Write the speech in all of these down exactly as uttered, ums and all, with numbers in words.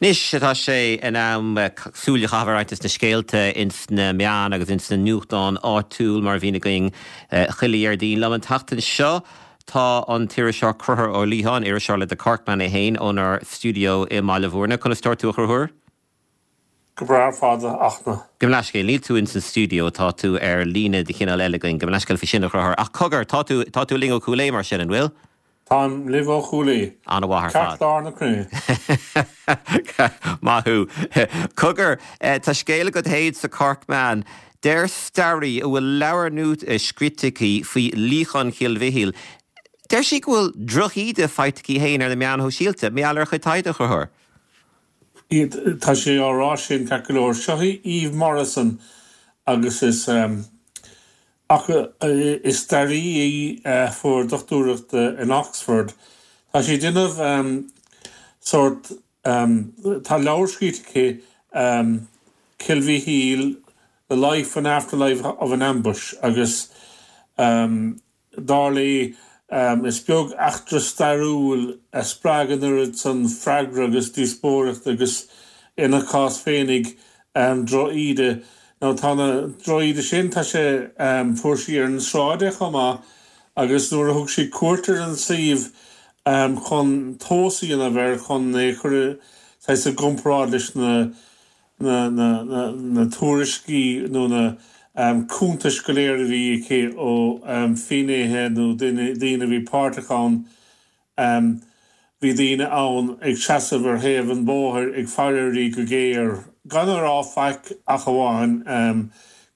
Anois tá sé in am súil a chaitheamh ar roinnt de na scéalta ins na meáin agus ins na nuachtáin áitiúil mar a bhíonn againn chuile Dhéardaoin. Liom an tseachtain seo tá an t-iriseoir Conchúr Ó Liatháin, iriseoir le The Corkman é féin ónár stiúideo i mBaile Bhúirne. Conas tá tú a Chonchúir? Go breá fada achna. Go leiscéil níl tú ins an stiúideo tá tú ar líne de chineál eile againn, go leiscéil fi sin a chruthir. Ach cogar tá tú tá tú linn ó Chúil Aodha mar sin an bhfuil? Táim libh ó Chúil Aodha. An-mhaith ar fad. Ceartlár na cruinne. Maith thú. Cogar tá scéal agat féin sa Corkman. Deir staraí a bhfuil leabhar nua scríte aici faoi luíochán Chill Mhichíl. Deir sí go bhfuil drochíde faighte aici féin ar na meáin shóisialta, mar gheall ar a cuid taighde a Chonchúir. Tá sé á rá sin ceart go leor. Seo í Eve Morrison agus is um, ach is staraí í a fuair dochtúireacht in Oxford. Tá sí ag déanamh um, sort um, tá leabhar scríte aici um, Kilviheel, The Life and Afterlife of an Ambush agus um, dar léi um, is beag eachtra stairiúil a spreag an oiread san freagra agus díospóireacht agus ina cás féinig um, drochíde. Nó tá na drochíde sin tá sé um, fuair sí ar an sráid chomh maith agus nuair a thug sí cuairt ar an suíomh um, chun tomhas a dhéanamh air chun é chur sa gcomparáid leis na na, na, na, na tuairiscí nó na um, cuntais go léir a bhí aici ó um, fhinnéithe nó daoine a bhí páirteach ann um, bhí daoine ann ag seasamh ar thaobh an bhóthair ag faire uirthi go géar gan a rá faic ach amháin um,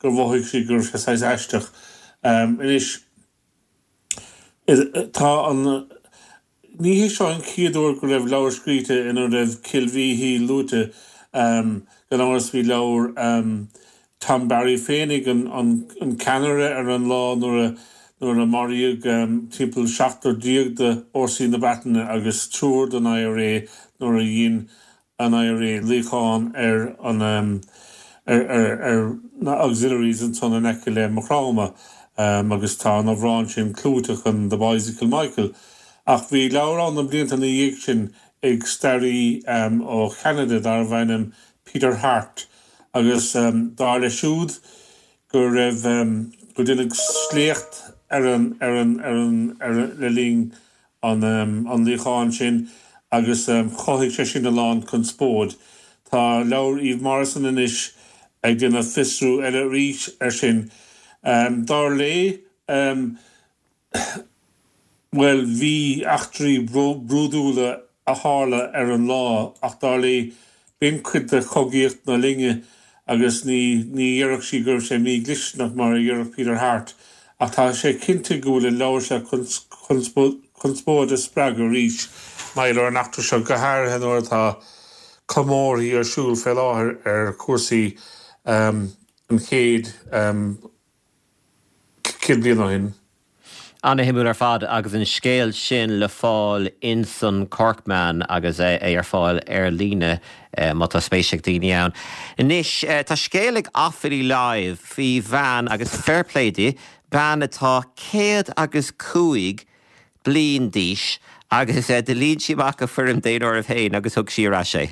gur mhothaigh sí gur sé saghas aisteach. Um, Anois tá an ní hé seo an chéad uair go raibh leabhar scríte ina raibh Cill Mhichíl luaite um, gan amhras bhí leabhar um, Tom Barry féinig an, an, an ceannaire ar an lá nuair a nuair a maraíodh um, timpeall seachtar déag de fhórsaí na Breataine agus triúr den IRA nuair a dhein an IRA luíochán ar an um, ar, ar, ar na auxiliaries ansan in aice le Maigh Chromtha um, agus tá an amhrán sin clúiteach an The Boys of Kilmichael. Ach bhí leabhar ann na blianta ina dhiaidh sin ag staraí um, ó Cheanada darbh ainm Peter Hart agus um, dar leis siúd go raibh um, go deineadh sléacht ar an ar an ar an ar le linn an um, an luíocháin sin agus um, chothaigh sé sin a lán conspóid. Tá leabhar Eve Morrison anois ag déanamh fiosrú eile arís ar sin. Um, dar léi um, well bhí eachtraí brúidiúla a tharla ar an lá ach dar léi b'in cuid de chogaíocht na linne agus ní ní dhéarfadh sí go raibh sé mídhlisteanach mar a dhéarfadh Peter Hart, ach tá sé cinnte go bhfuil an leabhar seo conspóid a spreagadh arís maidir leis an eachtra seo go háirithe nuair atá comórthaí ar siúl fé láthair ar chúrsaí um, an chéad um, céad bliain ó shin. An-shuimiúil ar fad agus an scéal sin le fáil insan Corkman agus é, é ar fáil ar líne eh, má tá spéis ag daoine ann. Anois eh, tá scéal ag Offaly Live faoi bhean agus fair play di, bean atá céad agus cúig bliain d'aois agus eh, do líon sí amach a foirm daonáirimh féin agus thug sí ar ais é.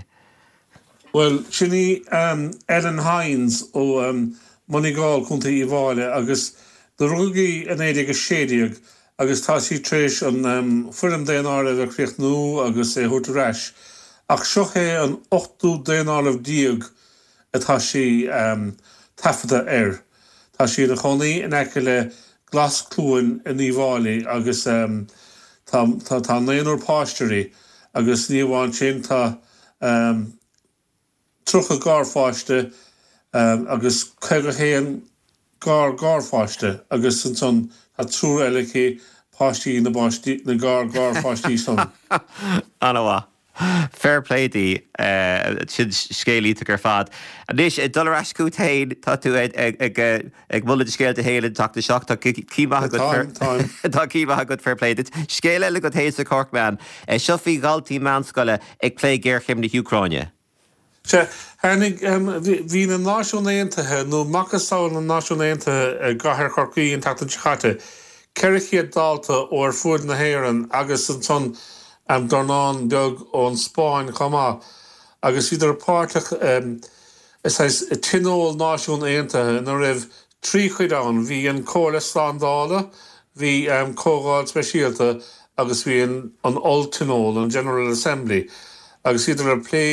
Well sin í um, Ellen Hines ó um, Moneygall Contae Uíbh Fhailí agus do rugadh í in naoi déag a sé déag agus tá sí tar éis an um, foirm daonáirimh a chríochnú agus é thabhairt ar ais. Ach seo é an ochtú daonáireamh déag atá sí um, taifeadta air. Tá sí ina cónaí in aice le Glaschluain in Uíbh Fhailí agus um, tá, tá, tá naonúr páiste aici agus ní amháin sin tá um, tríocha garpháiste um, agus caoga haon gar-garpháiste agus ansan tá triúr eile aici páistí na bpáistí na gar-garpháistí san. An-mhaith. Fair play di sin scéal iontach ar fad. Anois dul ar ais chugat féin tá tú ag ag moladh scéalta féin tachta seach tá cí Tá cí agat fair play duit. Scéal eile agat féin sa Corkman, seo faoi dhaltaí meánscoile ag plé géarchéim na hÚcráine. Sea tháinig bhí na Náisiúin Aontaithe nó macasamhail na Náisiún Aontaithe i gcathair Chorcaí an tseachtain seo caite, ceithre chéad dalta ó ar fud na hÉireann agus ansan um, dornán beag ón Spáinn chomh maith. Agus bhíodar páirteach i saghas tionól Náisiún Aontaithe ina raibh trí chuid ann, bhí an Comhairle Slándála, bhí Comhdháil Speisialta agus bhí an Olltionól, an General Assembly, agus bhíodar ag plé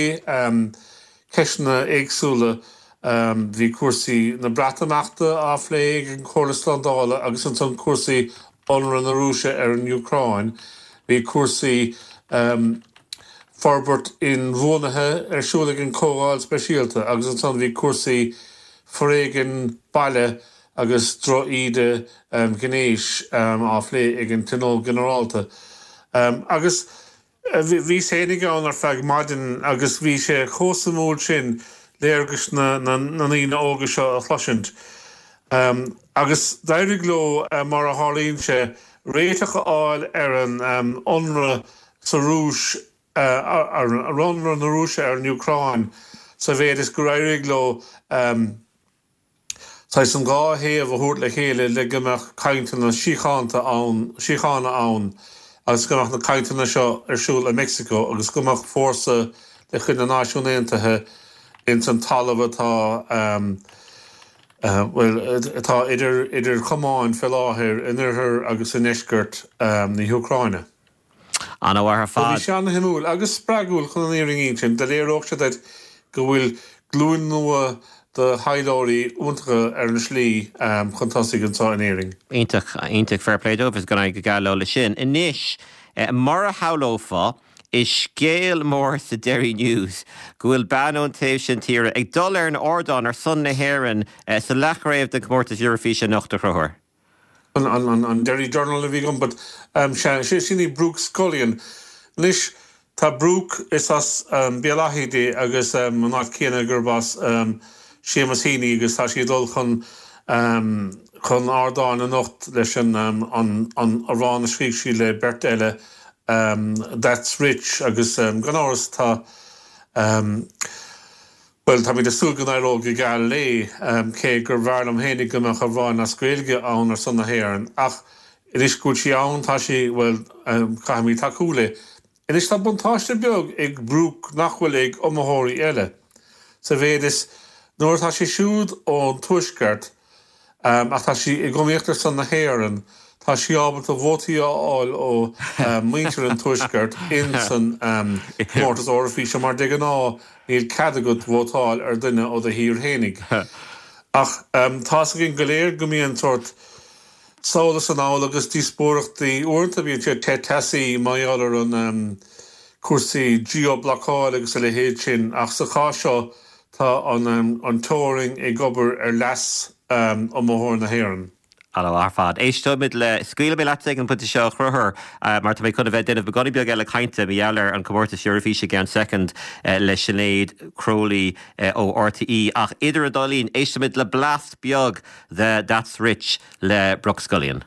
ceisteanna éagsúla. Bhí cúrsaí na Breatimeachta á phlé ag an Chomhairle Slándála agus ansan cúrsaí ionradh na Rúise ar an Úcráin. Bhí cúrsaí forbairt inbhuanaithe ar siúl ag an Chomhdháil Speisialta agus ansan bhí cúrsaí foréigean baile agus drochíde gnéis á phlé ag an Tionól Ginearálta. Agus bhíos féinig ann ar feadh maidin agus bhí sé chomh suimiúil sin léargas na ndaoine óga seo a chloisint. Agus d'éirigh leo, mar a tharlaíonn sé, réiteach a fháil ar an ionradh sa Rúis, ar ionradh na Rúise ar an Úcráin, sa mhéid is gur éirigh leo saghas an dhá thaobh a thabhairt le chéile le go mbeadh cainteanna síochánta ann, síochána ann agus go mbeadh na cainteanna seo ar siúl i Meicsiceo agus go mbeadh fórsa de chuid na Náisiún Aontaithe ins an talamh atá, bhuel, atá idir, idir chamáin fé láthair in oirthear agus i ndeisceart na hÚcráine. An-mhaith ar fad. Bhí sé an-shuimiúil agus spreagúil chun an fhírinne a insint. Do léireodh sé duit go bhfuil glúin nua de thaidhleoirí iontacha ar an slí chun tosaigh anseo in Éirinn. Iontach, iontach, fair play dóibh, is go n-éirí go geal leo leis sin. Anois, mar a shamhlófá, is scéal mór sa Derry News go bhfuil bean ón taobh sin tíre ag dul ar an ardán ar son na hÉireann sa leathchraobh den chomórtas Eurofíse anocht, a Chonchúir. An Derry Journal a bhí agam, but sea, sé sin í Brooke Scullion. Anois, tá Brooke, is as Béal Átha di agus an áit chéanna gurb as Seamus Heaney agus tá sí ag dul chun chun ardáin anocht leis an an amhrán a scríobh sí le beirt eile, That's Rich agus gan amhras tá bhuel, táimid ag súil go n-éireoidh go geal léi, cé gur bhfearr liom fhéinig go mbeadh amhrán as Gaeilge ann ar son na hÉireann. Ach anois go bhfuil sí ann, tá sí, bhuel, caithfimid tacú léi. Anois tá buntáiste beag ag Brooke nach bhfuil ag iomaitheoirí eile, sa mhéid is nuair atá sí siúd ón Tuaisceart, ach tá sí ag iomaíocht ar son na hÉireann, tá sí ábalta vótaí a fháil ó mhuintir an Tuaiscirt in san comórtas Eoraifíse mar de ghnáth níl cead agat vótáil ar dhuine ó do thír fhéinig. Ach tá's againn go léir go mbíonn sórt sall is anall agus díospóireachtaí, uaireanta bíonn siad te teasaí mar gheall ar an cúrsaí geo-blocáil agus a leithéid sin ach sa chás seo tá an teorainn ag obair ar leas iomaitheoir na hÉireann. An-mhaith ar fad. Éisteoimid le, scaoilfidh mé leat ag an bpointe seo a Chonchúir mar tá mé chun a bheith ag déanamh beagáinín beag eile cainte mar gheall ar an comórtas Eurofíse i gceann soicind le Sinéad Crowley ó RTÉ ach idir an dá linn éistfimid le blast beag de That's Rich le Brooke Scullion.